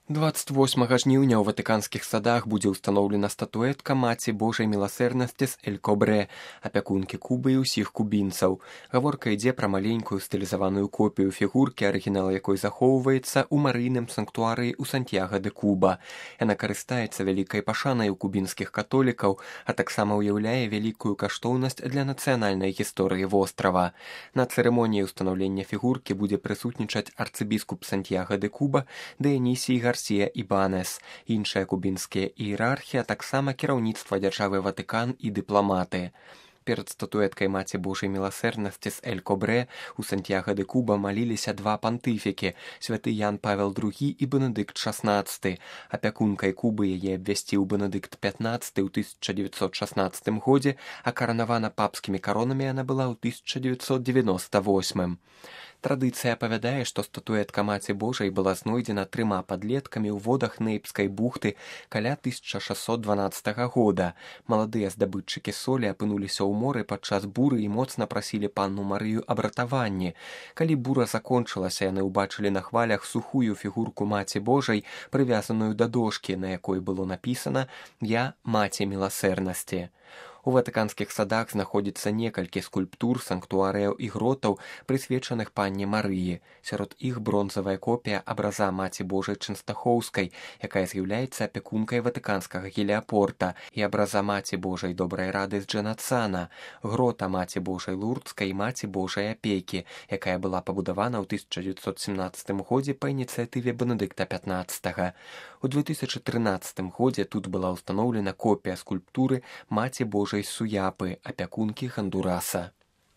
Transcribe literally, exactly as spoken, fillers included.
двадцать восьмага жніўня ў ватыканскіх садах будзе ўстаноўлена статуэтка Маці Божай міласэрнасці з Эль-Кобрэ, апякункі Кубы і ўсіх кубінцаў. Гаворка ідзе пра маленькую стылізаваную копію фігуркі, арыгінал якой захоўваецца ў марыйным санктуарыі ў Сантьяга-де-Куба. Яна карыстаецца вялікай пашанай у кубінскіх католікаў, а таксама ўяўляе вялікую каштоўнасць для нацыянальнай гісторыі вострава. На цырымоніі ўстанаўлення фігуркі будзе прысутнічаць арцыбіскуп Сантьяга-де-Куба Дыянісій Гарсія Ібанес, іншыя кубінскія іерархі, а таксама кіраўніцтва дзяржавы Ватыкан і дыпламаты. Перад статуэткай Маці Божай міласэрнасці з Эль-Кобрэ у Сантьяга-де-Куба маліліся два пантыфікі – святы Ян Павел другі і Бенедыкт шаснаццаты. Апякункай Кубы яе абвясціў Бенедыкт пятнаццаты ў тысяча дзевяцьсот шаснаццатым годзе, а каранавана папскімі каронамі яна была ў тысяча дзевяцьсот дзевяноста восьмым. Традыцыя апавядае, што статуэтка Маці Божай была знойдзена трыма падлеткамі ў водах Нейпскай бухты каля тысяча шэсцьсот дванаццатага года. Маладыя здабытчыкі солі апынуліся ў моры падчас буры і моцна прасілі панну Марыю аб ратаванні. Калі бура закончылася, яны ўбачылі на хвалях сухую фігурку Маці Божай, прывязаную да дошкі, на якой было напісана «Я Маці міласэрнасці». У ватыканскіх садах знаходзіцца некалькі скульптур, санктуарыяў і гротаў, прысвечаных панне Марыі. Сярод іх бронзавая копія абраза Маці Божай Чэнстахоўскай, якая з'яўляецца апякункай ватыканскага геліапорта, і абраза Маці Божай Добрай рады з Джэнацана, грота Маці Божай Лурдскай і Маці Божай апекі, якая была пабудавана ў тысяча дзевяцьсот семнаццатым годзе па ініцыятыве Бенедыкта пятнаццатага. У две тысячы трынаццатым годзе тут была ўстаноўлена копія скульптуры Маці Божай Суяпы, апякункі Хондураса.